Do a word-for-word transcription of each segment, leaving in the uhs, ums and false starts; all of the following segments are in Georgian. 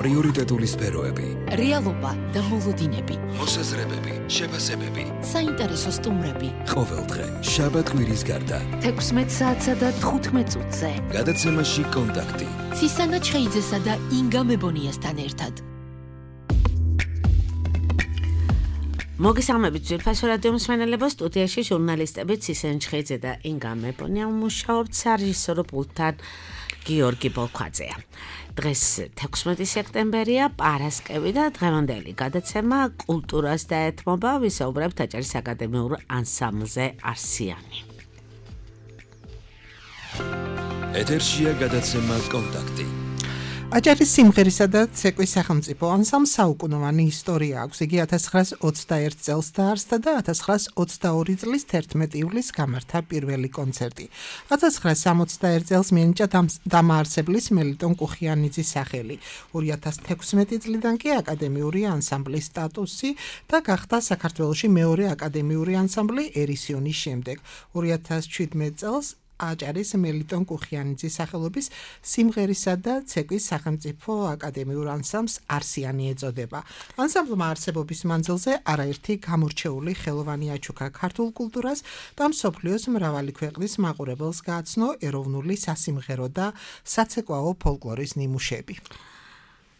პრიორიტეტული სფეროები, რეალობა და მოლოდინები, მოსაზრებები, შეფასებები, საინტერესო სტუმრები. ყოველდღე შაბათ-კვირის გარდა თექვსმეტ საათსა და თხუთმეტ წუთზე. გადაცემაში კონტაქტი. ცისანა ჩხეიძესა და ინგა მებონიასთან ერთად. მოგესალმებით ძვირფასო რადიო მსმენელებო, სტუდიაში ჟურნალისტები ცისანა ჩხეიძე და ინგა მებონია მუშაობთ სარეჟისორო პულტთან გიორგი ბოლქვაძეა. დღეს თექვსმეტი სექტემბერია, პარასკევი და დღევანდელი გადაცემა კულტურას დაეთმობა, ვისაუბრებთ აჭარის აკადემიურ ანსამბლზე არსიანი. ეთერშია გადაცემა კონტაქტი. აჭარის სიმღერისა და ცეკვის სახელმწიფო ანსამბლს საუკუნოვანი ისტორია აქვს. იგი ათას ცხრაას ოცდაერთ წელს დაარსდა და ათას ცხრაას ოცდაორი წლის თერთმეტი ივლისს გამართა პირველი კონცერტი. ათას ცხრაას სამოცდაერთ წელს მიენიჭა დამაარსებლის მელიტონ კუხიანიძის სახელი. ორი ათას თექვსმეტი წლიდან კი აკადემიური ანსამბლის სტატუსი და გახდა საქართველოში მეორე აკადემიური ანსამბლი ერისიონის შემდეგ. ორი ათას შვიდმეტ წელს აჭარის მელიტონ კუხიანიძის სახელობის სიმღერისა და ცეკვის სახელმწიფო აკადემიურ ანსამბლს არსიანი ეწოდება. ანსამბლმა არსებობის მანძილზე არაერთი გამორჩეული ხელოვანი აჩუქა ქართულ კულტურას და მსოფლიოს მრავალი ქვეყნის მაყურებელს გააცნო ეროვნული სასიმღერო და საცეკვაო ფოლკლორის ნიმუშები.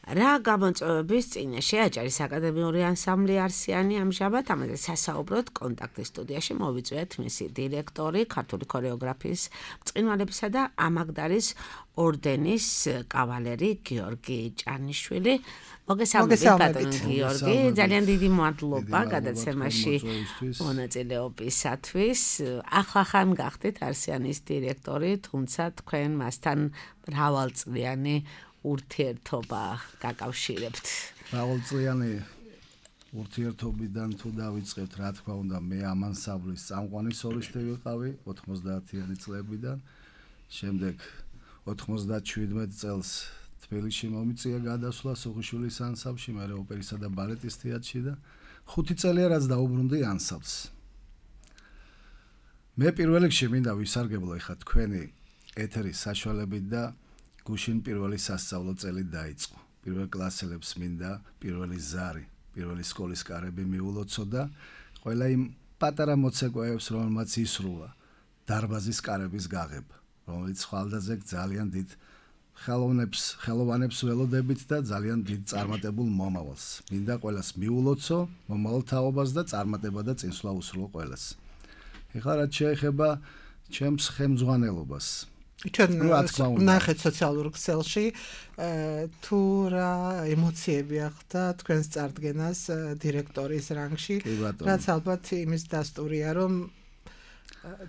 რა გამოწვევების წინაშე აჭარის აკადემიური ანსამბლი არსიანი ამჟამად ამაზე სასაუბროდ კონტაქტის სტუდიაში მოვიწვიეთ მისი დირექტორი, ქართული ქორეოგრაფიის ბრწყინვალებისა და ამაგდარის ორდენის კავალერი გიორგი ჭანიშვილი. მოგესალმებით ბატონო გიორგი, ძალიან დიდი მადლობა გადაცემაში მონაწილეობისათვის. ახლახან გახდით არსიანის დირექტორი, თუმცა თქვენ მასთან მრავალწლიანი ურთიერთობა გაკავშირებთ. მრავალწლიანი ურთიერთობიდან თუ დავიწყებთ, რა თქმა უნდა, მე ამ ანსამბლის წამყვანი სოლისტი ვიყავი ოთხმოცდაათიანი წლებიდან. შემდეგ ოთხმოცდაშვიდმეტ წელს თბილისში მომიწია გადასვლა სუხიშვილის ანსამბლში, მერე ოპერისა და ბალეტის თეატრში და ხუთი წელია რაც დაუბრუნდი ანსამბლს. მე პირველ რიგში მინდა ვისარგებლო ეხლა თქვენი ეთერის საშუალებით და გუშინ პირველი სასწავლო წელი დაიწყო. პირველ კლასელებს მინდა პირველი ზარი, პირველი სკოლის კარები მიულოცო და ყველა იმ პატარა მოცეკვავებს, რომელმაც ისრულა დარბაზის კარების გაღება, რომელიც ხვალდაზე ძალიან დიდ ხელოვნებს, ხელოვანებს ველოდებით და ძალიან დიდ წარმატებულ მომავალს. მინდა ყველას მიულოცო, მომავალ თაობას და წარმატება და წინსვლა უსრულო ყველას. ეხლა რაც შეეხება ჩემს ხელმძღვანელობას. ჩვენ ნახეთ სოციალურ ქსელში თუ რა ემოციები ახდა თქვენს წარდგენას დირექტორის რანგში, რაც ალბათ იმის დასტურია, რომ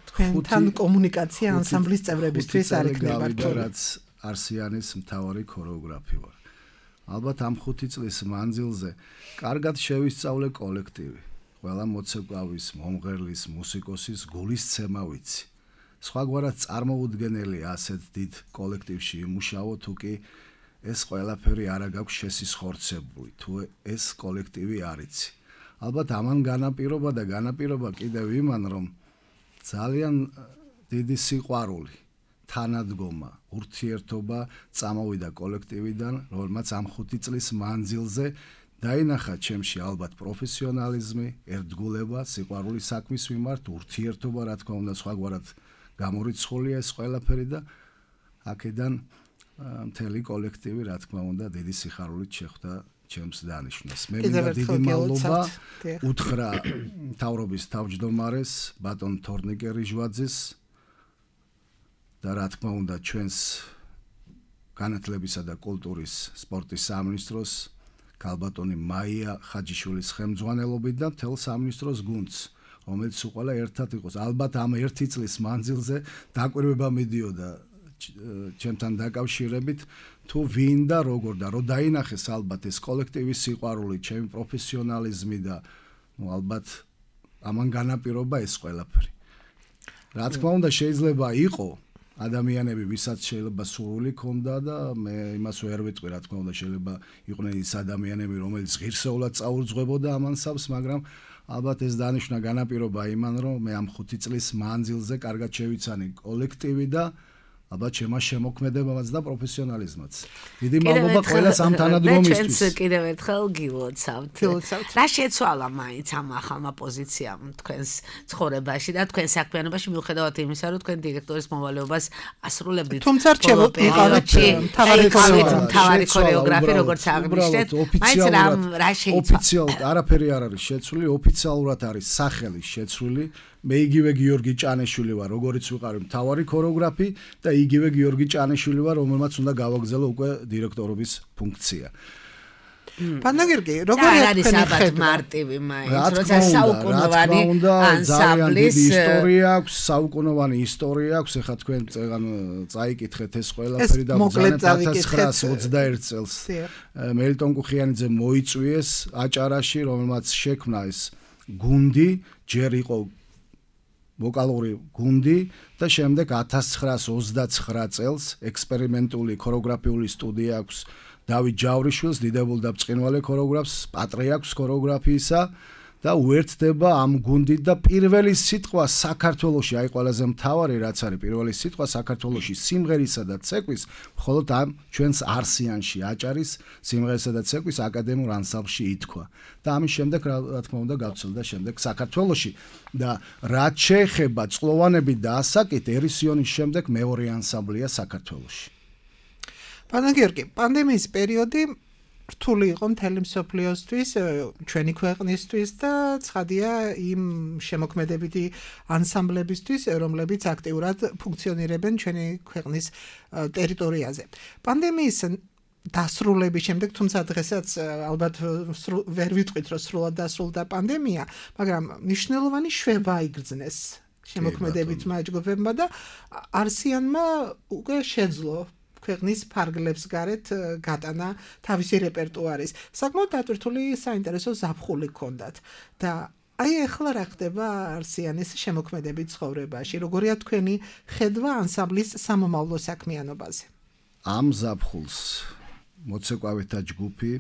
თქვენთან კომუნიკაცია ანსამბლის წევრებისთვის არ იქნება რთული. რაც არსიანის მთავარი ქორეოგრაფი ვარ. ალბათ ამ ხუთი წლის მანძილზე კარგად შევისწავლე კოლექტივი. ყველა მოცეკვავის, მომღერლის, მუსიკოსის გულისცემა ვიცი. სხვაგვარად წარმოუდგენელი ასეთ დიდ კოლექტივში იმუშაო, თუ კი ეს ყველაფერი არა გაქვს შესისხორცებული, თუ ეს კოლექტივი არ იცი. ალბათ ამან განაპირობა და განაპირობა კიდევ იმან, რომ ძალიან დიდი სიყვარული, თანადგომა, ურთიერთობა წამოვიდა კოლექტივიდან, რომელმაც ამ ხუთი წლის მანძილზე დაინახა ჩემში ალბათ პროფესიონალიზმი, ერთგულება, სიყვარული საქმის მიმართ, ურთიერთობა, რა თქმა უნდა, სხვაგვარად გამორიცხულია ეს ყველაფერი და აქედან მთელი კოლექტივი, რა თქმა უნდა, დიდი სიხარულით შეხვდა ჩემს დანიშვნას. მე მინდა დიდი მადლობა უთხრა მთავრობის თავმჯდომარეს, ბატონ თორნიკე რიჟვაძეს და რა თქმა უნდა, ჩვენს განათლებისა და კულტურის სპორტის სამინისტროს ქალბატონი მაია ხაჯიშვილის ხელმძღვანელობით და მთელ სამინისტროს გუნდს, რომელიც უყალა ერთად იყოს. ალბათ ამ ერთი წლის მანძილზე დაკვირვება მიდიოდა ჩემთან დაკავშირებით, თუ ვინ და როგორ და რო დაინახეს ალბათ ეს კოლექტივის სიყვარული, ჩემი პროფესიონალიზმი და ნუ ალბათ ამან განაპირობა ეს ყველაფერი. რა თქმა უნდა, შეიძლება იყო ადამიანები, ვისაც შეიძლება სურვილი ქონდა და მე იმას ვერ ვიტყვი, რა თქმა უნდა, შეიძლება იყვნენ ის ადამიანები, რომელიც ღირსეულად წაუძღვებოდა ამ ანსამბლს, მაგრამ ალბათ ეს დანიშნა განაპირობა იმან, რომ მე ამ ხუთი წლის მანძილზე კარგად შევიცანი კოლექტივი და ალბათ შემა შემოქმედებამაც და პროფესიონალიზმაც. დიდი მადლობა ყველას ამ თანადგომისთვის. ჩვენც კიდევ ერთხელ გილოცავთ. გილოცავთ. რა შეცვალა მაინც ამ ახალმა პოზიციამ თქვენს ცხოვრებაში და თქვენ საქმიანობაში მიუხედავად იმისა, რომ თქვენ დირექტორის მოვალეობას ასრულებდით. თუმცა რჩებოდით თავარი ქორეოგრაფი, როგორც აღნიშნეთ, მაინც რა შეიცვალა? ოფიციალურად არაფერი არ არის შეცვლილი, ოფიციალურად არის სახელი შეცვლილი. მე იგივე გიორგი ჭანიშვილი ვარ, როგორიც ვიყავი მთავარი ქორეოგრაფი და იგივე გიორგი ჭანიშვილი ვარ, რომელმაც უნდა გავაგზავნო უკვე დირექტორობის ფუნქცია. პანდაგირგი, როგორი არის ალბათ მარტივი მაინც, როცა საუკუნოვანი ანსამბლის ისტორია აქვს, საუკუნოვანი ისტორია აქვს, ეხლა თქვენ წეგან წაიკითხეთ ეს ყველაფერი და ბრძანეთ ათას ცხრაას ოცდაერთ წელს მელიტონ კუხიანიძე მოიწვიეს აჭარაში, რომელმაც შექმნა ეს გუნდი, ჯერ იყო ვოკალური გუნდი და შემდეგ ათას ცხრაას ოცდაცხრა წელს ექსპერიმენტული ქორეოგრაფიული სტუდია აქვს დავით ჯავრიშვილს, დიდებულ და ბრწყინვალე ქორეოგრაფს, პატრიარქს ქორეოგრაფიისა და უერთდება ამ გუნდით და პირველი სიტყვა საქართველოში, აი ყველაზე მთავარი რაც არის, პირველი სიტყვა საქართველოში სიმღერისა და ცეკვის მხოლოდ ამ ჩვენს არსიანში, აჭარის სიმღერისა და ცეკვის აკადემიურ ანსამბლში ითქვა. და ამის შემდეგ რა თქმა უნდა გავცელდა შემდეგ საქართველოში და რაც შეეხება წყლოვანები და ასაკით, ერისიონის შემდეგ მეორე ანსამბლია საქართველოში. პანდაგირგი, პანდემიის პერიოდი რთული იყო მთელი მსოფლიოსთვის, ჩვენი ქვეყნისთვის და ცხადია იმ შემოქმედებითი ანსამბლებისთვის, რომლებიც აქტიურად ფუნქციონირებენ ჩვენი ქვეყნის ტერიტორიაზე. პანდემიის დასრულების შემდეგ, თუმცა დღესაც ალბათ ვერ ვიტყვით, რომ სრულად დასრულდა პანდემია, მაგრამ მნიშვნელოვანი შვება იგრძნეს შემოქმედებითმა ჯგუფებმა და არსიანმა უკვე შეძლო ქვეყნის ფარგლებს გარეთ გატანა თავისი რეპერტუარის. საკმაოდ დატვირთული საინტერესო ზაფხული ჰქონდათ და აი ახლა რა ხდება არსიანის შემოქმედებით ცხოვრებაში? როგორია თქვენი ხედვა ანსამბლის სამომავლო საქმიანობაზე? ამ ზაფხულს მოცეკვავითა ჯგუფი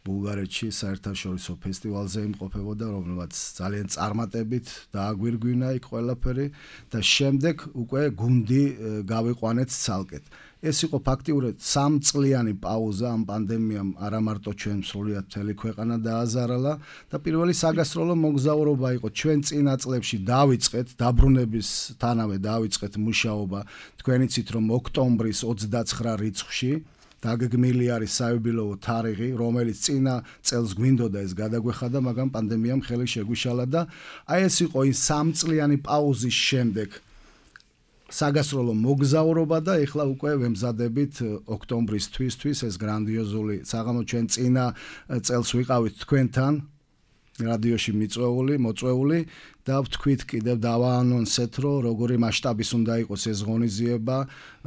ბულგარეთში საერთაშორისო ფესტივალზე იმყოფებოდა, რომელმაც ძალიან წარმატებით დააგვირგვინა იქ ყველაფერი და შემდეგ უკვე გუნდი გავიყვანეთ ცალკეთ. ეს იყო ფაქტიურად სამწლიანი პაუზა ამ პანდემიამ არა მარტო ჩვენ სრულიად მთელი ქვეყანა დააზარალა და პირველი საგასტროლო მოგზაურობა იყო ჩვენ წინა წლებში დავიწყეთ დაბრუნებისთანავე დავიწყეთ მუშაობა თქვენ იცით რომ ოქტომბრის ოცდაცხრა რიცხვში დაგეგმილი არის საიუბილეო თარიღი რომელიც წინა წელს გვინდოდა ეს გადაგვეხადა მაგრამ პანდემიამ ხელი შეგვიშალა და აი ეს იყო ის სამწლიანი პაუზის შემდეგ საგასტროლო მოგზაურობა და ეხლა უკვე ვემზადებით ოქტომბრის თვისთვის ეს გრანდიოზული საღამო ჩვენ წინა წელს ვიყავით თქვენთან რადიოში მიწვეული მოწვეული და ვთქვით კიდევ დავაანონსეთ რომ როგორი მასშტაბის უნდა იყოს ეს ღონისძიება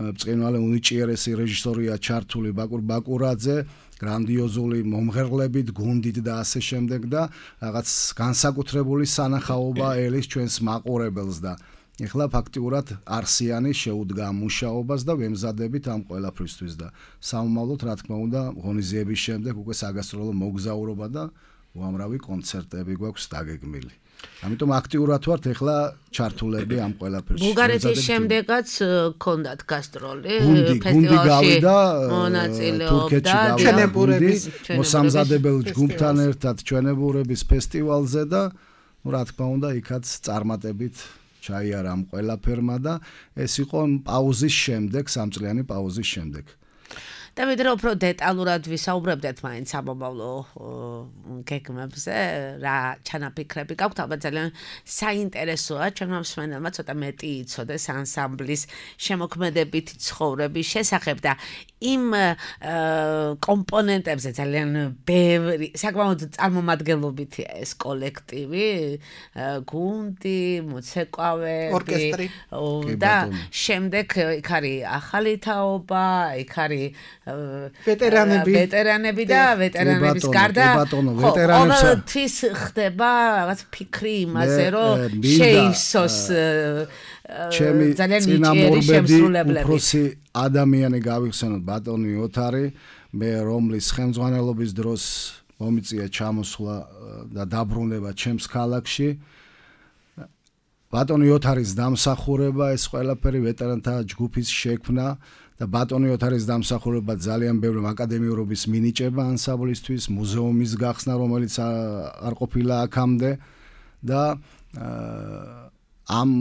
ბრწყინვალე უნიჭიერესი რეჟისორია ჩართული ბაკურ ბაკურაძე გრანდიოზული მომღერლებით გუნდით და ასე შემდეგ და რაღაც განსაკუთრებული სანახაობა ელის ჩვენს მაყურებელს და ეხლა ფაქტიურად არსიანი შეუდგა მუშაობას და ვემზადებით ამ ყველაფრისთვის და სამომავლოდ რა თქმა უნდა ღონისძიების შემდეგ უკვე საგასტროლო მოგზაურობა და უამრავი კონცერტები გვაქვს დაგეგმილი. ამიტომ აქტიურად ვართ ეხლა ჩართულები ამ ყველაფერში. ბულგარეთის შემდეგაც გქონდათ გასტროლი ფესტივალში მონაწილეობდა ჩვენებურების მოსამზადებელ ჯგუფთან ერთად ჩვენებურების ფესტივალზე და რა თქმა უნდა იქაც წარმატებით ჩაიარა ამ ყველაფერმა და ეს იყო პაუზის შემდეგ, სამწლიანი პაუზის შემდეგ. და ვიდრე უფრო დეტალურად ვისაუბრებდეთ მაინც ამომავლო გეგმებზე, რა ჩანაფიქრები გაქვთ, ალბათ ძალიან საინტერესოა ჩვენმა მსმენელმა ცოტა მეტი იცოდეს ანსამბლის შემოქმედებით ცხოვრების შესახებ და იმ კომპონენტებზე ძალიან ბევრი, საკმაოდ წარმომადგენლობითია ეს კოლექტივი, გუნდი, მოცეკვავე, ორკესტრი და შემდეგ იქ არის ახალი თაობა, იქ არის ვეტერანები ვეტერანები და ვეტერანების გარდა ყოველთვის ხდება რაღაც ფიქრი იმაზე რომ შეივსოს ჩემი წინამორბედი უფროსი ადამიანი გავიხსენოთ ბატონი ოთარი მე რომლის ხელმძღვანელობის დროს მომიწია ჩამოსვლა და დაბრუნება ჩემს ქალაქში ბატონი ოთარის დამსახურება, ეს ყველაფერი ვეტერანთა ჯგუფის შექმნა და ბატონი ოთარის დამსახურება ძალიან ბევრი აკადემიურობის მინიჭება ანსამბლისთვის, მუზეუმის გახსნა, რომელიც არ ყოფილა აქამდე და ამ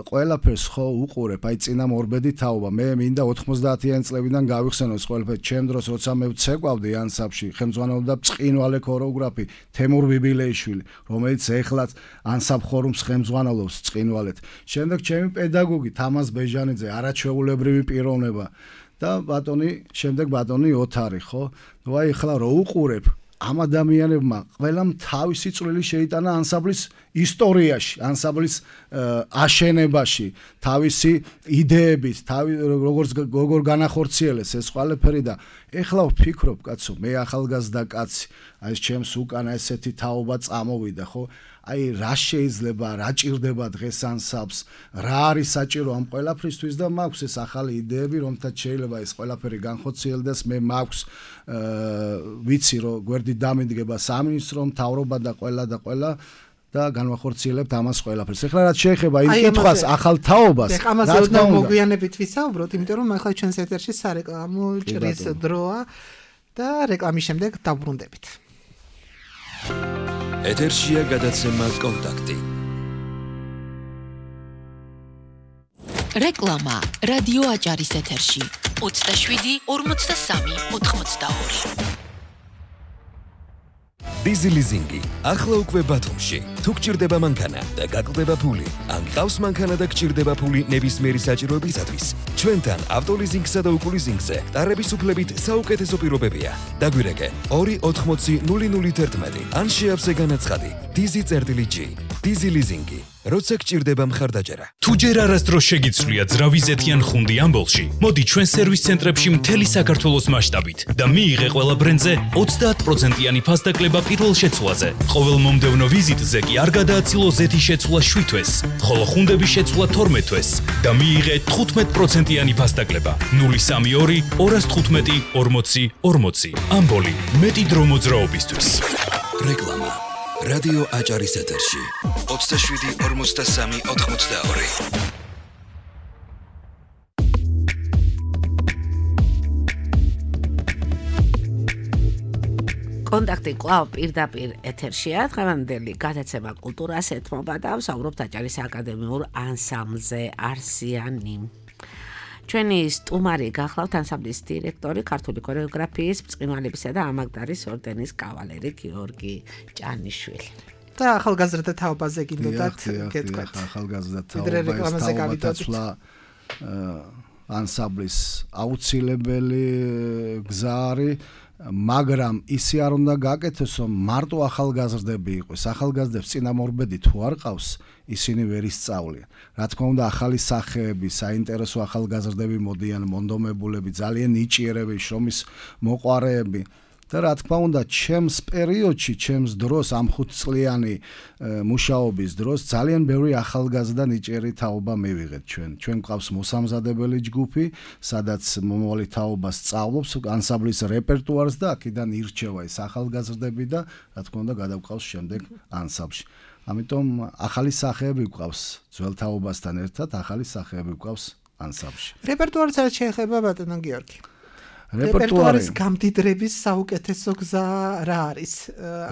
ყველაფერს ხო უყურებ, აი წინა მორბედი თაობა. მე მინდა ოთხმოცდაათიანი წლებიდან გავიხსენო ეს ყველაფერი. ჩემ დროს როცა მე ვცეკვავდი ანსამბლში, ხელმძღვანელობდა ბრწყინვალე ქორეოგრაფი თემურ ბიბილეიშვილი, რომელიც ეხლაც ანსამბლ ხორუმს ხელმძღვანელობს ბრწყინვალეთ. შემდეგ ჩემი პედაგოგი თამაზ ბეჟანიძე, არაჩვეულებრივი პიროვნება და ბატონი, შემდეგ ბატონი ოთარი, ხო? ნუ აი ახლა რო უყურებ ამ ადამიანებმა ყველამ თავისი წვლილი შეიტანა ანსამბლის ისტორიაში, ანსამბლის აშენებაში, თავისი იდეებით, თავი როგორც როგორ განახორციელეს ეს ყველაფერი და ეხლა ვფიქრობ, კაცო, მე ახალგაზრდა კაცი, აი ეს ჩემს უკანა ესეთი თაობა წამოვიდა, ხო? აი რა შეიძლება, რა ჭირდება დღეს ანსამბლს, რა არის საჭირო ამ ყველაფრისთვის და მაქვს ეს ახალი იდეები, რომთაც შეიძლება ეს ყველაფერი განხორციელდეს. მე მაქვს ვიცი რომ გვერდით დამიდგება სამინისტრო, მთავრობა და ყველა და ყველა და განვახორციელებთ ამას ყველაფერს. ეხლა რაც შეეხება იმ კითხვას ახალ თაობას, რა თქმა უნდა, მოგვიანებით ვისაუბროთ, იმიტომ რომ ახლა ჩვენს ეთერში სარეკლამო ჭრის დროა და რეკლამის შემდეგ დავბრუნდებით. ეთერშია გადაცემა კონტაქტი. რეკლამა რადიო აჭარის ეთერში ოცდაშვიდი ორმოცდასამი ოთხმოცდაორი. დიზი ლიზინგი ახლა უკვე ბათუმში. თუ გჭირდება მანქანა და გაკლდება ფული, ან გყავს მანქანა და გჭირდება ფული ნებისმიერი საჭიროებისათვის, ჩვენთან ავტოლიზინგსა და უკულიზინგზე ტარების უფლებით საუკეთესო პირობებია. დაგვირეკე ორი ოთხმოცი ნული ნული თერთმეტი ან შეავსე განაცხადი დიზი წერტილი ჯი. დიზი ლიზინგი. როცა გჭირდება მხარდაჭერა. თუ ჯერ არასდროს შეგიცვლია ძრავი ზეთიან ხუნდი ამბოლში, მოდი ჩვენ სერვის ცენტრებში მთელი საქართველოს მასშტაბით და მიიღე ყველა ბრენდზე ოცდაათ პროცენტიანი ფასდაკლება პირველ შეცვლაზე. ყოველ მომდევნო ვიზიტზე კი არ გადააცილო ზეთის შეცვლა შვიდ თვეს, ხოლო ხუნდების შეცვლა თორმეტ თვეს და მიიღე თხუთმეტ პროცენტიანი ფასდაკლება. ნული სამი ორი ორას თხუთმეტი ორმოცი ორმოცი. ამბოლი მეტი დრო მოძრაობისთვის. რეკლამა რადიო აჭარის ეთერში ოცდაშვიდი ორმოცდასამი ოთხმოცდაორი. კონტაქტი კვლავ პირდაპირ ეთერშია. დღევანდელი გადაცემა კულტურას ეთმობა და ვსაუბრობთ აჭარის აკადემიურ ანსამბლზე არსიანი. ჩვენი სტუმარი გახლავთ ანსამბლის დირექტორი, ქართული ქორეოგრაფიის, ბრწყინვალებისა და ამაგდარის ორდენის კავალერი გიორგი ჭანიშვილი. და ახალგაზრდა თაობაზე გინდოდათ გეტყვით. ახალგაზრდა თაობაზე გავიდოცვლა ანსამბლის აუცილებელი გზა არის, მაგრამ ისე არ უნდა გაკეთოს, რომ მარტო ახალგაზრდები იყოს. ახალგაზრდებს წინამორბედი თუ არ ყავს, ისინი ვერ ისწავლიან. რა თქმა უნდა, ახალი სახეები, საინტერესო ახალგაზრდები მოდიან, მონდომებულები, ძალიან ნიჭიერები, შრომის მოყვარეები. და რა თქმა უნდა, ჩემს პერიოდში, ჩემს დროს, ამ ხუთწლიანი მუშაობის დროს ძალიან ბევრი ახალგაზრდა ნიჭიერი თაობა მივიღეთ ჩვენ. ჩვენ გვყავს მოსამზადებელი ჯგუფი, სადაც მომავალი თაობა სწავლობს ანსამბლის რეპერტუარს და აქედან ირჩევა ეს ახალგაზრდები და რა თქმა უნდა, გადავყავს შემდეგ ანსამბლში. ამიტომ ახალი სახეები გვყავს ძველ თაობასთან ერთად, ახალი სახეები გვყავს ანსამბლში. რეპერტუარს არ შეეხება ბატონო გიორგი. რეპერტუარის გამდიდრების საუკეთესო გზა რა არის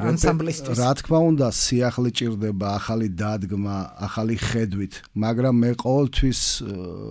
ანსამბლისთვის? რა თქმა უნდა, სიახლე ჭირდება, ახალი დადგმა, ახალი ხედვით, მაგრამ მე ყოველთვის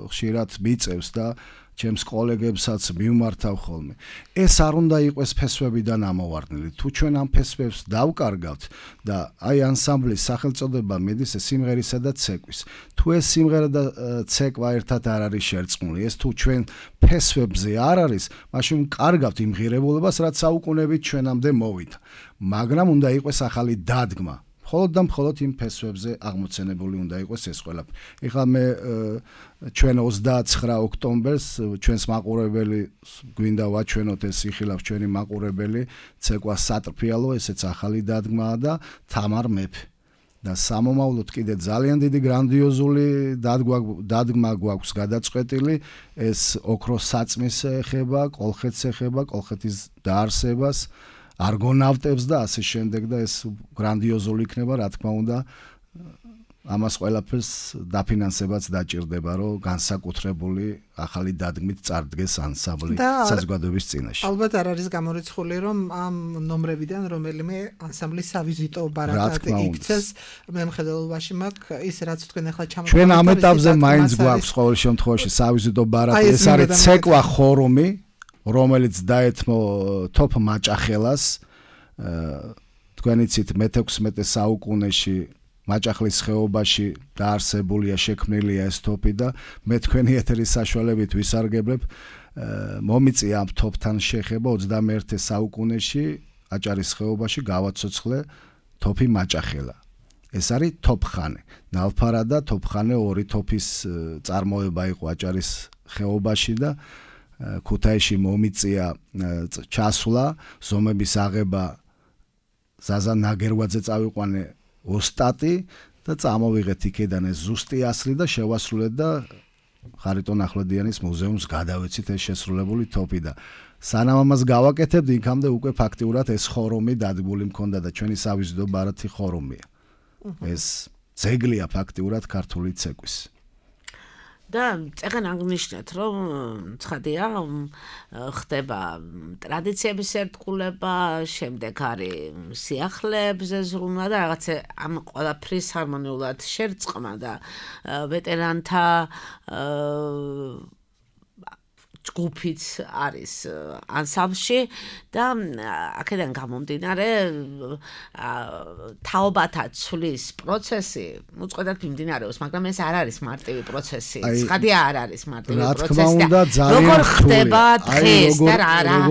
ხშირად მიწევს და ჩემს კოლეგებსაც მივმართავ ხოლმე. ეს არ უნდა იყოს ფესვებიდან ამოვარდნილი. თუ ჩვენ ამ ფესვებს დავკარგავთ და აი ანსამბლის სახელწოდება მიდის სიმღერისა და ცეკვის. თუ ეს სიმღერა და ცეკვა ერთად არ არის შერწყმული, ეს თუ ჩვენ ფესვებზე არ არის, მაშინ კარგავთ იმ ღირებულებას, რაც საუკუნეებით ჩვენამდე მოვიდა. მაგრამ უნდა იყოს ახალი დადგმა. მხოლოდ და მხოლოდ იმ ფესვებზე აღმოცენებული უნდა იყოს ეს ყველაფერი. ეხლა მე ჩვენ ოცდაცხრა ოქტომბერს ჩვენს მაყურებელი გვინდა ვაჩვენოთ ეს იხილავს ჩვენი მაყურებელი ცეკვა სატრფიალო, ესეც ახალი დადგმაა და თამარ მეფე. და სამომავლოდ კიდე ძალიან დიდი გრანდიოზული დადგმა გვაქვს გადაწყვეტილი, ეს ოქროს საწმის ეხება, კოლხეთს ეხება, კოლხეთის დაარსებას, არგონავტებს და ასე შემდეგ და ეს გრანდიოზული იქნება, რა თქმა უნდა, ამას ყველაფერს დაფინანსებაც დაჭირდება, რომ განსაკუთრებული ახალი დადგმით წარდგეს ანსამბლი საზოგადოების წინაშე. ალბათ არ არის გამორიცხული, რომ ამ ნომრებიდან რომელიმე ანსამბლის სავიზიტო ბარათად იქცეს. მე მხედველობაში მაქვს ის რაც თქვენ ახლა ჩამოყალიბეთ. ჩვენ ამ ეტაპზე მაინც გვაქვს ყოველ შემთხვევაში სავიზიტო ბარათი. ეს არის ცეკვა ხორუმი, რომელიც დაეთმო თოფ მაჭახელას. თქვენ იცით მეთექვსმეტე საუკუნეში მაჭახლის ხეობაში დაარსებულია, შექმნილია ეს თოფი და მე თქვენი ეთერის საშუალებით ვისარგებლებ მომიწია ამ თოფთან შეხება ოცდამეერთე საუკუნეში აჭარის ხეობაში გავაცოცხლე თოფი მაჭახელა. ეს არის თოფხანე. ნალფარა და თოფხანე ორი თოფის წარმოება იყო აჭარის ხეობაში და ქუთაისში მომიწია ჩასვლა, ზომების აღება ზაზა ნაგერვაძე წავიყვანე ოსტატი და წამოვიღეთ იქიდან ეს ზუსტი ასლი და შევასრულეთ და ხარიტონ ახვლედიანის მუზეუმს გადავეცით ეს შესრულებული თოფი და სანამ ამას გავაკეთებთ, იქამდე უკვე ფაქტიურად ეს ხორუმი დადგმული მქონდა და ჩვენი სავიზიტო ბარათი ხორუმია. ეს ძეგლია ფაქტიურად ქართული ცეკვის. და წეგან აღნიშნეთ, რომ ცხადია ხდება ტრადიციების ერთგულება, შემდეგ არის სიახლეებზე ზრუნვა და რაღაცა ამ ყველაფრის ჰარმონიულად შერწყმა და ვეტერანთა ჯგუფიც არის ანსამბლში და აქედან გამომდინარე თაობათა ცვლის პროცესი უწყვეტად მიმდინარეობს, მაგრამ ეს არ არის მარტივი პროცესი. ცხადია არ არის მარტივი პროცესი და როგორ ხდება დღეს და რა რა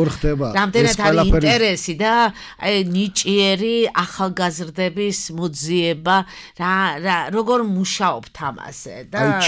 რამდენად არის ინტერესი და აი ნიჭიერი ახალგაზრდების მოძიება რა როგორ მუშაობთ ამაზე და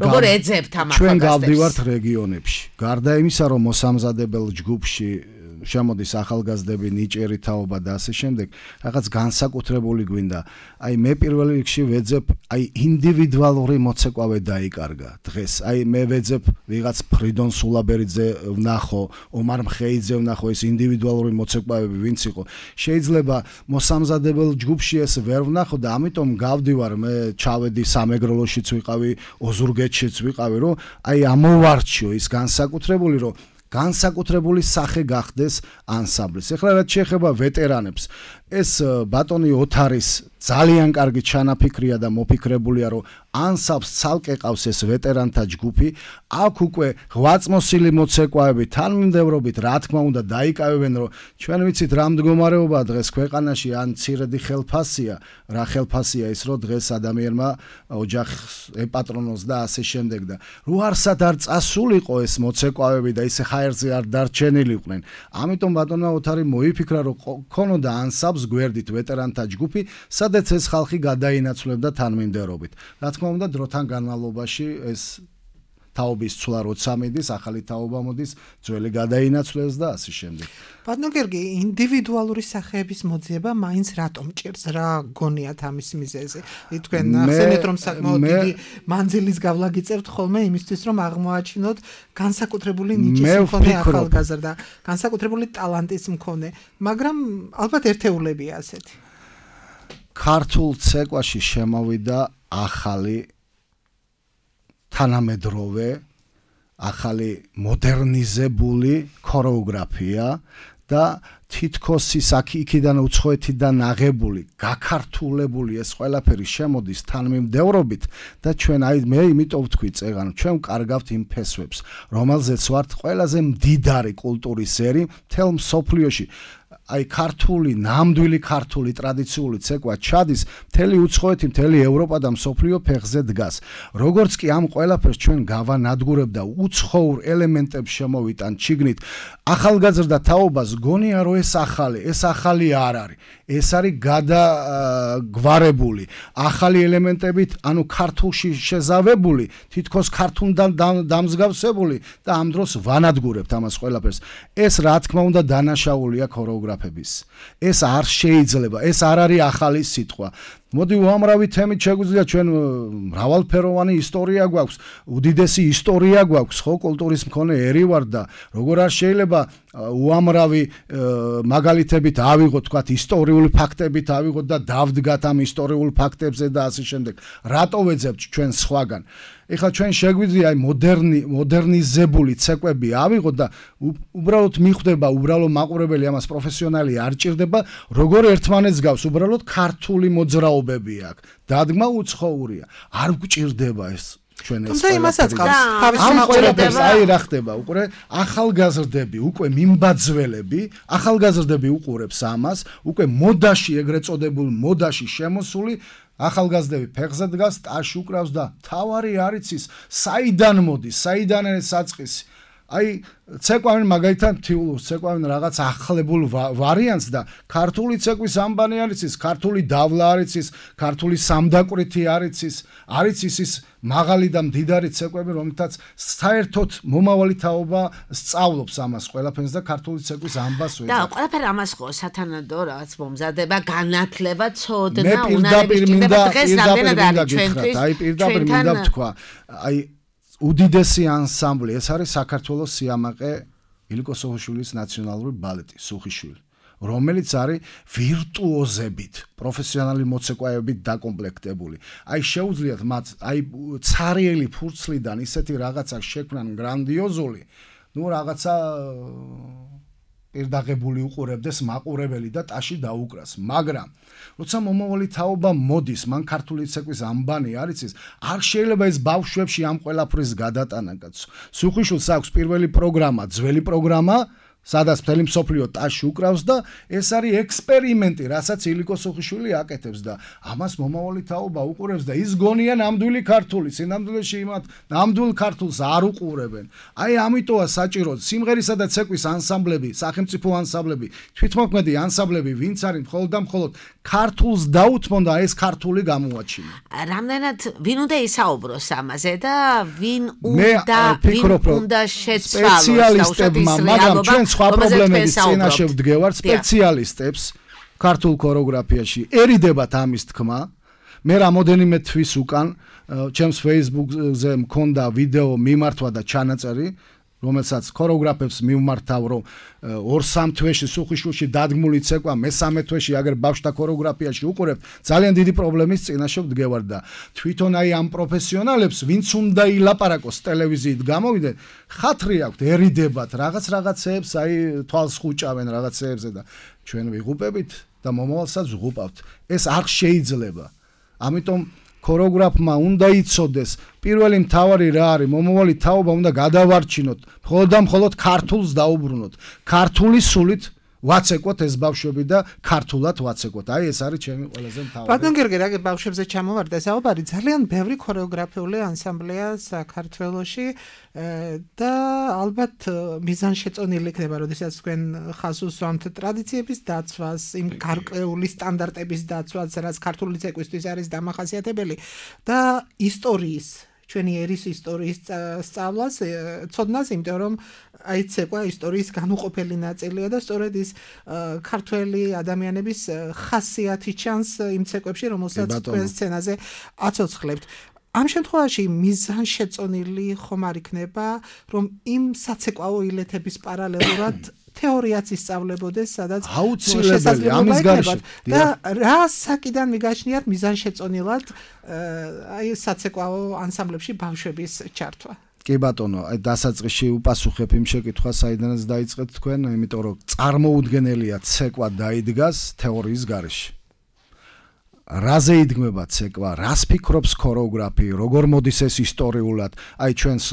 როგორ ეძებთ ამ ახალგაზრდებს. ჩვენ გავდივართ რეგიონებში. გარდა იმისა, რომ მოსამზადებელ ჯგუფში შემოდის ახალგაზრდები, ნიჭიერი თაობა და ასე შემდეგ, რაღაც განსაკუთრებული გვინდა. აი მე პირველ რიგში ვეძებ, აი ინდივიდუალური მოცეკვავე დაიკარგა დღეს. აი მე ვეძებ ვიღაც ფრიდონ სულაბერიძე ვნახო, ომარ მხეიძე ვნახო, ეს ინდივიდუალური მოცეკვავები ვინც იყო. შეიძლება მოსამზადებელ ჯგუფში ეს ვერ ვნახო და ამიტომ გავდივარ, მე ჩავედი სამეგროლოშიც ვიყავი, ოზურგეთშიც ვიყავი, რომ აი ამოვარჩიო ის განსაკუთრებული, რომ განსაკუთრებული სახე გახდეს ანსამბლის. ეხლა რაც შეეხება ვეტერანებს, ეს ბატონი ოთარის ძალიან კარგი ჩანაფიქრია და მოფიქრებულია, რომ ანსამბლს ცალკე ყავს ეს ვეტერანთა ჯგუფი, აქ უკვე ღვაწმოსილი მოცეკვავები თანმიმდევრობით, რა თქმა უნდა, დაიკავებენ, რომ ჩვენ ვიცით რა მდგომარეობაა დღეს ქვეყანაში, ან ცირედი ხელფასია, რა ხელფასია ის, რომ დღეს ადამიანმა ოჯახს ეპატრონოს და ასე შემდეგ და რო არსად არ წასულიყო ეს მოცეკვავები და ისე ხაერზე არ დარჩენილიყვნენ. ამიტომ ბატონმა ოთარი მოიფიქრა, რომ ქონოდა ანსამბლს გვერდით ვეტერანთა ჯგუფი, სადაც ეს ხალხი გადაინაცვლებდა თანმიმდევრობით. რა თქმა უნდა, დროთან განმავლობაში ეს თაობის ცვლა როცა მიდის, ახალი თაობა მოდის, ძველი გადაინაცვლეს და ასე შემდეგ. ბატონო გერგი, ინდივიდუალური სახეების მოძიება მაინც რატომ ჭირს? რა გონიათ ამის მიზეზი? თქვენ ახსენეთ, რომ საკმაოდ დიდი მანძილის გავლა გიწევთ ხოლმე იმისთვის, რომ აღმოაჩინოთ განსაკუთრებული ნიჭის მქონე ახალგაზრდა, განსაკუთრებული ტალანტის მქონე, მაგრამ ალბათ ერთეულებია ასეთი. ქართულ ცეკვაში შემოვიდა ახალი თანამედროვე, ახალი მოდერნიზებული ქორეოგრაფია და თითქოს ის აქ-იქიდან უცხოეთიდან აღებული, გაქართულებული ეს ყველაფერი შემოდის თანმიმდევრობით და ჩვენ აი მე იმიტომ ვთქვი წეგან, ჩვენ ვკარგავთ იმ ფესვებს, რომელზეც ვართ ყველაზე მდიდარი კულტურის ერი მთელ მსოფლიოში. აი ქართული, ნამდვილი ქართული ტრადიციული ცეკვა ჩადის მთელი უცხოეთი, მთელი ევროპა და მსოფლიო ფეხზე დგას. როგორც კი ამ ყველაფერს ჩვენ გავანადგურებ და უცხოურ ელემენტებს შემოვიტან ჩიგნით, ახალგაზრდა თაობას გონია, რომ ეს ახალი, ეს ახალი არ არის. ეს არის გადაგვარებული, ახალი ელემენტებით, ანუ ქართულში შეზავებული, თითქოს ქართულთან დამსგავსებული და ამ დროს ვანადგურებთ ამას ყველაფერს. ეს რა თქმა უნდა დანაშაულია ქორეოგრაფიის. ეს არ შეიძლება, ეს არ არის ახალი სიტყვა. მოდი უამრავი თემით შეგვიძლია ჩვენ მრავალფეროვანი ისტორია გვაქვს, უდიდესი ისტორია გვაქვს, ხო, კულტურის მქონე ერი ვარ და როგორ არ შეიძლება უამრავი მაგალითებით ავიღოთ, თქვათ, ისტორიული ფაქტებით ავიღოთ და დავდგათ ამ ისტორიულ ფაქტებზე და ასე შემდეგ. რატო ვეძებთ ჩვენ სხვაგან? ეხლა ჩვენ შეგვიძლია აი მოდერნი მოდერნიზებული ცეკვები ავიღოთ და უბრალოდ მიხვდება უბრალო მაყურებელი, ამას პროფესიონალი არ ჭირდება, როგორ ერთმანეთს გავს, უბრალოდ ქართული მოძრაობები აქვს. დადგმა უცხოურია. არ გვჭირდება ეს ჩვენ ეს. თუმცა იმასაც გავს თავის მაყურებელს, აი რა ხდება, უკვე ახალგაზრდები, უკვე მიმბაძველები, ახალგაზრდები უყურებს ამას, უკვე მოდაში, ეგრეთ წოდებულ მოდაში შემოსული ახალგაზრდები ფეხზე დგას, ტაში უკრავს და თავარი არ იცის, საიდან მოდის, საიდან არის საწყისი. აი ცეკვავენ მაგალითად თიულურს, ცეკვავენ რაღაც ახლებულ ვარიანტს და ქართული ცეკვის ამბანი არ იცის, ქართული დავლა არ იცის, ქართული სამდაკვრითი არ იცის, არ იცის ის მაღალი და მდიდარი ცეკვები, რომელთაც საერთოდ მომავალი თაობა სწავლობს ამას ყველაფერს და ქართული ცეკვის ამბას ვეძახ. და ყველაფერი ამას ხო სათანადო რაღაც მომზადება, განათლება, ცოდნა, მე პირდაპირ მინდა დღეს რამდენად არის ჩვენთვის? აი პირდაპირ მინდა ვთქვა, აი უდიდესი ანსამბლი, ეს არის საქართველოს სიამაყე ილიკო სუხიშვილის ნაციონალური ბალეტი, სუხიშვილი, რომელიც არის ვირტუოზებით, პროფესიონალი მოცეკვავებით დაკომპლექტებული. აი შეუძლიათ მათ, აი ცარიელი ფურცლიდან ისეთი რაღაცა შექმნან გრანდიოზული, ну რაღაცა პირდაღებული უყურებდეს მაყურებელი და ტაში დაუკრას, მაგრამ როცა მომავალი თაობა მოდის, მან ქართული ცეკვის ამბანი არ იცის, არ შეიძლება ეს ბავშვებში ამ ყველაფრის გადატანა კაცო. სუხიშვილს აქვს პირველი პროგრამა, ძველი პროგრამა, სადაც მთელი მსოფლიო ტაში უკრავს და ეს არის ექსპერიმენტი, რასაც ილიკო სუხიშვილი აკეთებს და ამას მომავალი თაობა უყურებს და ის გონია ნამდვილი ქართული, სინამდვილეში იმათ ნამდვილ ქართულს არ უყურებენ. აი ამიტოა საჭირო სიმღერისა და ცეკვის ანსამბლები, სახელმწიფო ანსამბლები, თვითმოქმედი ანსამბლები, ვინც არის მხოლოდ და მხოლოდ ქართულს დაუთმონ და ეს ქართული გამოაჩინა. რამდენად ვინ უნდა ისაუბროს ამაზე და ვინ უნდა ვინ უნდა შეცვალოს სპეციალისტებმა, მაგრამ ჩვენ სხვა პრობლემების წინაშე ვდგევართ სპეციალისტებს ქართულ ქორეოგრაფიაში. ერიდებათ ამის თქმა. მე რამოდენიმე თვის უკან ჩემს Facebook-ზე მქონდა ვიდეო მიმართვა და ჩანაწერი, რომელსაც ქორეოგრაფებს მივმართავ, რომ ორ სამ თვეში სუხიშვილში დადგმული ცეკვა, მესამე თვეში აგერ ბავშვთა ქორეოგრაფიაში უყურებთ, ძალიან დიდი პრობლემის წინაშე ვდგევარ და თვითონ აი ამ პროფესიონალებს, ვინც უნდა ილაპარაკოს ტელევიზიით გამოვიდნენ, ხათრი აქვთ, ერიდებათ რაღაც რაღაცეებს, აი თვალს ხუჭავენ რაღაცეებზე და ჩვენ ვიღუპებით და მომავალსაც ვღუპავთ. ეს არ შეიძლება. ამიტომ ქორეოგრაფმა უნდა იცოდეს, პირველი მთავარი რა არის, მომავალი თაობა უნდა გადავარჩინოთ, მხოლოდ და მხოლოდ ქართულს დაუბრუნოთ. ქართული სულით ვაცეკოთ ეს ბავშვები და ქართულად ვაცეკოთ. აი ეს არის ჩემი ყველაზე მთავარი. ბატონ გერგე, რა ბავშვებზე ჩამოვარდა საუბარი, ძალიან ბევრი ქორეოგრაფიული ანსამბლია საქართველოში და ალბათ მიზანშეწონილი იქნება, როდესაც თქვენ ხაზს უსვამთ ტრადიციების დაცვას, იმ გარკვეული სტანდარტების დაცვას, რაც ქართული ცეკვისთვის არის დამახასიათებელი და ისტორიის ჩვენი ერის ისტორიის სწავლას, ცოდნას, იმიტომ რომ აი ცეკვა ისტორიის განუყოფელი ნაწილია და სწორედ ის ქართველი ადამიანების ხასიათი ჩანს იმ ცეკვებში, რომელსაც თქვენ სცენაზე აცოცხლებთ. ამ შემთხვევაში მიზანშეწონილი ხომ არ იქნება, რომ იმ საცეკვაო ილეთების პარალელურად თეორიაც ისწავლებოდეს, სადაც აუცილებელი ამის გარეშე და რა საკიდან მიგაჩნიათ მიზანშეწონილად აი საცეკვაო ანსამბლებში ბავშვების ჩართვა. კი ბატონო, აი დასაწყისში უპასუხებ იმ შეკითხვას, საიდანაც დაიწყეთ თქვენ, იმიტომ რომ წარმოუდგენელია ცეკვა დაიდგას თეორიის გარეშე. რაზე იდგმება ცეკვა, რას ფიქრობს ქორეოგრაფი, როგორ მოდის ეს ისტორიულად, აი ჩვენს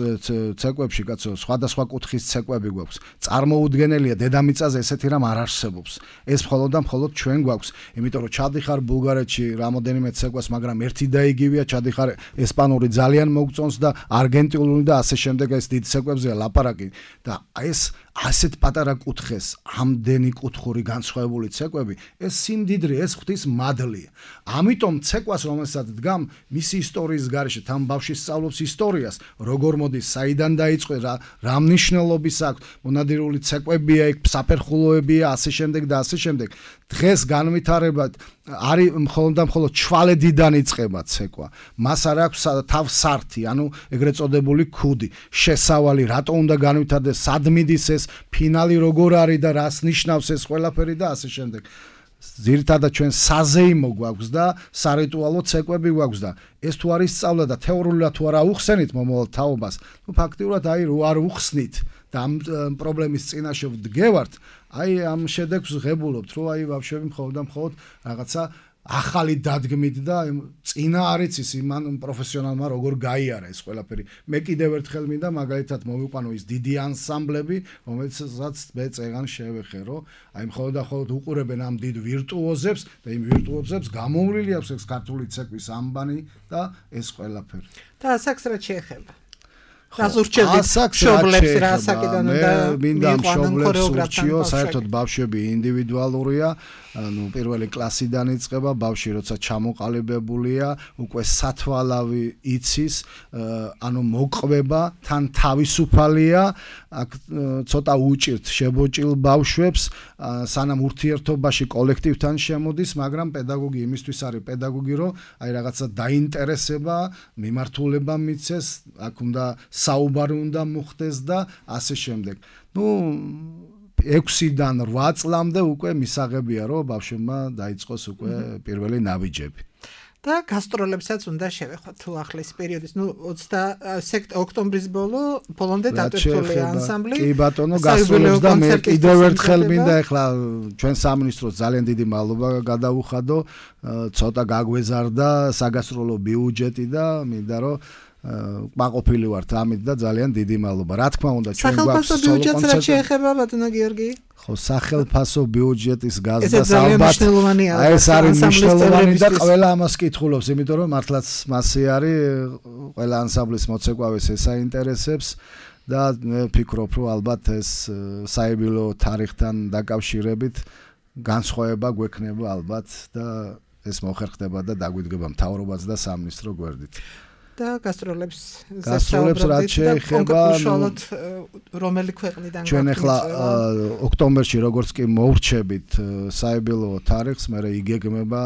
ცეკვებში, კაცო, სხვადასხვა კუთხის ცეკვები გვაქვს. წარმოუდგენელია, დედამიწაზე ესეთი რამ არ არსებობს. ეს მხოლოდ და მხოლოდ ჩვენ გვაქვს, იმიტომ რომ ჩადიხარ ბულგარეთში რამოდენიმე ცეკვას, მაგრამ ერთი და იგივეა, ჩადიხარ ესპანური ძალიან მოგწონს და არგენტინული და ასე შემდეგ ეს დიდ ცეკვებზეა ლაპარაკი და ეს ასეთ პატარა კუთხეს ამდენი კუთხური განსხვავებული ცეკვები, ეს სიმდიდრე, ეს ღვთის მადლია. ამიტომ ცეკვას, რომელსაც დგამ მისი ისტორიის გარეშე, თან ბავშვი სწავლობს ისტორიას, როგორ მოდის, საიდან დაიწყო, რა რა მნიშვნელობის აქვს, მონადირული ცეკვებია, იქ საფერხულოებია, ასე შემდეგ და ასე შემდეგ. დღეს განვითარებად არის მხოლოდ და მხოლოდ ჩვალედიდან იწყება ცეკვა. მას არ აქვს თავსართი, ანუ ეგრეთ წოდებული ქუდი, შესავალი, რატო უნდა განვითარდეს, სად მიდის ეს ფინალი როგორ არის და რას ნიშნავს ეს ყველაფერი და ასე შემდეგ. ძირითადად ჩვენ საზეიმო გვაქვს და სარიტუალო ცეკვები გვაქვს და ეს თუ არის სწავლა და თეორიულად თუ არა უხსენით მომავალ თაობას, ну ფაქტიურად აი რო არ უხსნით და ამ პრობლემის წინაშე ვდგევართ, აი ამ შედეგს ღებულობთ, რომ აი ბავშვები მხოლოდ და მხოლოდ რაღაცა ახალი დადგმით და წინა არის ის იმან პროფესიონალმა როგორ გაიარა ეს ყველაფერი. მე კიდევ ერთხელ მინდა მაგალითად მოვიყვანო ის დიდი ანსამბლები, რომელსაც მე წეგან შევეხერო, აი მხოლოდ და მხოლოდ უყურებენ ამ დიდ ვირტუოზებს და იმ ვირტუოზებს გამოვლილი აქვს ეს ქართული ცეკვის ამბანი და ეს ყველაფერი. და ასაკს რა შეეხება? რაზურჩებით მშობლებს რა ასაკიდან უნდა მინდა მშობლებს ურჩიო, საერთოდ ბავშვები ინდივიდუალურია, ну პირველი კლასიდან იწყება, ბავშვი როცა ჩამოყალიბებულია, უკვე სათვალავი იცის, ანუ მოყვება, თან თავისუფალია, აქ ცოტა უჭირთ შებოჭილ ბავშვებს, სანამ ურთიერთობაში კოლექტივთან შემოდის, მაგრამ პედაგოგი იმისთვის არის პედაგოგი, რომ აი რაღაცა დაინტერესება, მიმართულება მიცეს, აქ უნდა საუბარი უნდა მოხდეს და ასე შემდეგ. ну ექვსიდან რვა წლამდე უკვე მისაღებია, რომ ბავშვებმა დაიწყოს უკვე პირველი ნაბიჯები. და გასტროლებსაც უნდა შევეხოთ თუ ახლის პერიოდის, ну ოცდაათი ოქტომბრის ბოლო ბოლომდე დატვირთული ანსამბლი. კი ბატონო, გასტროლებს და მე კიდევ ერთხელ მინდა ეხლა ჩვენ სამინისტროს ძალიან დიდი მადლობა გადავუხადო, ცოტა გაგვეზარდა საგასტროლო ბიუჯეტი და მინდა რომ მაყოფილი ვართ ამით და ძალიან დიდი მადლობა. რა თქმა უნდა, ჩვენ გვაქვს სახელმწიფო ბიუჯეტს რა შეეხება ბატონო გიორგი? ხო, სახელმწიფო ბიუჯეტის გაზრდას ალბათ ეს არის მნიშვნელოვანი და ყველა ამას კითხულობს, იმიტომ რომ მართლაც მასე არის ყველა ანსამბლის მოცეკვავეს ეს აინტერესებს და მე ვფიქრობ, რომ ალბათ ეს საიუბილეო თარიღთან დაკავშირებით განსხვავება გვექნება ალბათ და ეს მოხერხდება და დაგვიდგება მთავრობაც და სამინისტრო გვერდით. და გასტროლებს გასტროლებს რაც შეეხება რომელი ქვეყნიდან ჩვენ ახლა ოქტომბერში როგორც კი მოვრჩებით საიუბილეო თარიღს, მე იგეგმება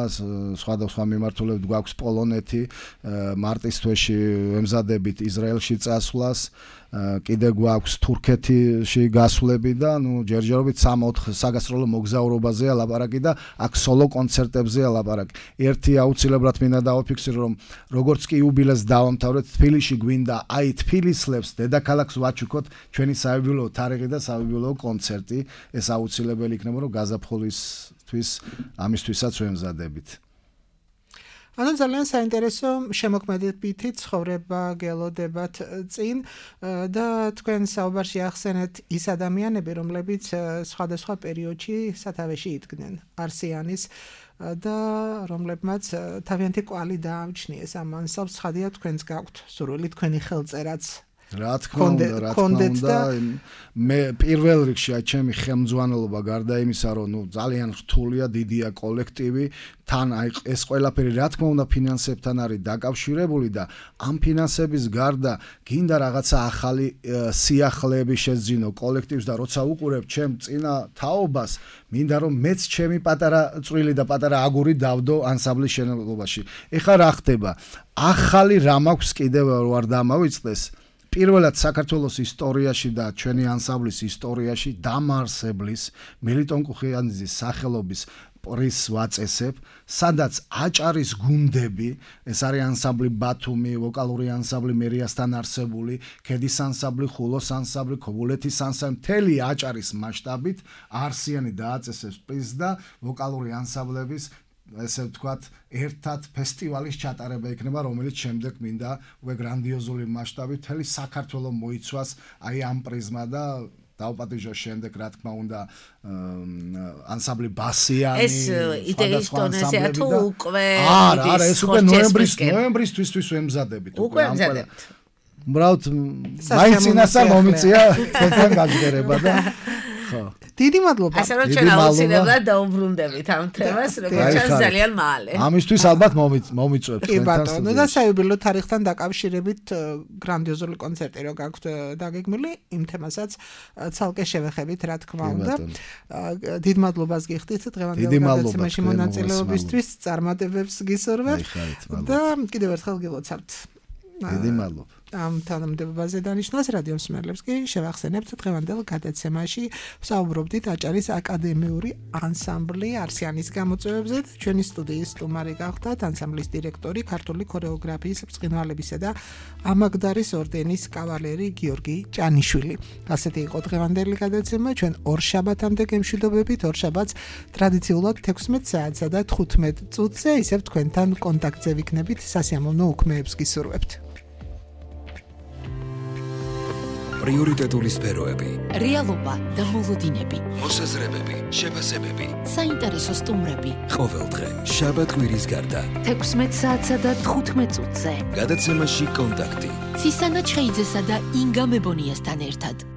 სხვადასხვა მიმართულებით გვაქვს პოლონეთი, მარტის თვეში ემზადებით ისრაელში წასვლას, კიდე გვაქვს თურქეთში გასვლები და ნუ ჯერჯერობით სამი-ოთხ საგასტროლო მოგზაურობაზეა ლაპარაკი და აქ სოლო კონცერტებზეა ლაპარაკი. ერთი აუცილებლად მინდა დავაფიქსირო, რომ როგორც კი იუბილეს დავამთავრეთ, თბილისში გვინდა აი თბილისლებს დედაქალაქს ვაჩუქოთ ჩვენი საიუბილეო თარიღი და საიუბილეო კონცერტი. ეს აუცილებელი იქნება, რომ გაზაფხულისთვის ამისთვისაც ვემზადებით. ანუ ძალიან საინტერესო შემოქმედებითი ცხოვრება გელოდებათ წინ და თქვენ საუბარში ახსენეთ ის ადამიანები, რომლებიც სხვადასხვა პერიოდში სათავეში იდგნენ არსიანის და რომლებმაც თავიანთი კვალი დაამჩნიეს ამ ანსამბლს. ხადია თქვენს გაქვთ სურვილი თქვენი ხელწერაც რა თქმა უნდა, რა თქმა უნდა, მე პირველ რიგში აი ჩემი ხელმძღვანელობა გარდა იმისა, რომ ნუ ძალიან რთულია, დიდია კოლექტივი, თან აი ეს ყველაფერი რა თქმა უნდა ფინანსებთან არის დაკავშირებული და ამ ფინანსების გარდა გინდა რაღაცა ახალი სიახლეები შეძინო კოლექტივს და როცა უყურებ ჩემ წინა თაობას, მინდა რომ მეც ჩემი პატარა წვრილი და პატარა აგური დავდო ანსამბლის შენობაში. ეხლა რა ხდება? ახალი რამ აქვს კიდევ ვარ დამავიწყდეს. პირველად საქართველოს ისტორიაში და ჩვენი ანსამბლის ისტორიაში დამარსებლის მელიტონ კუხიანიძის სახელობის პრიზს ვაწესებ, სადაც აჭარის გუნდები, ეს არის ანსამბლი ბათუმი, ვოკალური ანსამბლი მერიასთან არსებული, ქედის ანსამბლი, ხულოს ანსამბლი, ქობულეთის ანსამბლი, მთელი აჭარის მასშტაბით არსიანი დააწესებს პრიზს და ვოკალური ანსამბლების ესე ვთქვათ, ერთად ფესტივალის ჩატარება იქნება, რომელიც შემდეგ მინდა უკვე გრანდიოზული მასშტაბით მთელი საქართველოს მოიცვას აი ამ პრიზმა და დავპატიჟოს შემდეგ, რა თქმა უნდა, ანსამბლი ბასიანი, ეს იდეის დონეზეა თუ უკვე არა, არა, ეს უკვე ნოემბრის ნოემბრისთვის ვემზადებით უკვე ამზადებთ. უბრალოდ მაინც ინასა მომიწია თქვენთან გაჯერება და ხო. დიდი მადლობა. ასე რომ ჩვენ აუცილებლად დაუბრუნდებით ამ თემას, როგორც ჩანს ძალიან მალე. ამისთვის ალბათ მომიწვევთ კი ბატონო, და საიუბილეო თარიღთან დაკავშირებით გრანდიოზული კონცერტი რო გაქვთ დაგეგმილი, იმ თემასაც ცალკე შევეხებით, რა თქმა უნდა. დიდ მადლობას გიხდით დღევანდელ გადაცემაში მონაწილეობისთვის, წარმატებებს გისურვებთ და კიდევ ერთხელ გილოცავთ. დიდი მადლობა. ამ თანამდებობაზე დანიშნულს რადიო მსმენელებს კი შევახსენებთ დღევანდელ გადაცემაში ვსაუბრობდით აჭარის აკადემიური ანსამბლი არსიანის გამოწვევებზე. ჩვენი სტუდიის სტუმარი გახდათ ანსამბლის დირექტორი, ქართული ქორეოგრაფიის ბრწყინვალებისა და ამაგდარის ორდენის კავალერი გიორგი ჭანიშვილი. ასეთი იყო დღევანდელი გადაცემა. ჩვენ ორ შაბათამდე გემშვიდობებით, ორ შაბათს ტრადიციულად თექვსმეტ საათსა და თხუთმეტ წუთზე ისევ თქვენთან კონტაქტზე ვიქნებით. სასიამოვნო უქმეებს გისურვებთ. პრიორიტეტული სფეროები, რეალობა და მოლოდინები, მოსაზრებები, შეფასებები, საინტერესო სტუმრები. ყოველდღე შაბათ კვირის გარდა თექვსმეტ საათსა და თხუთმეტ წუთზე. გადაცემაში კონტაქტი. ცისანა ჩხეიძესა და ინგა მებონიასთან ერთად.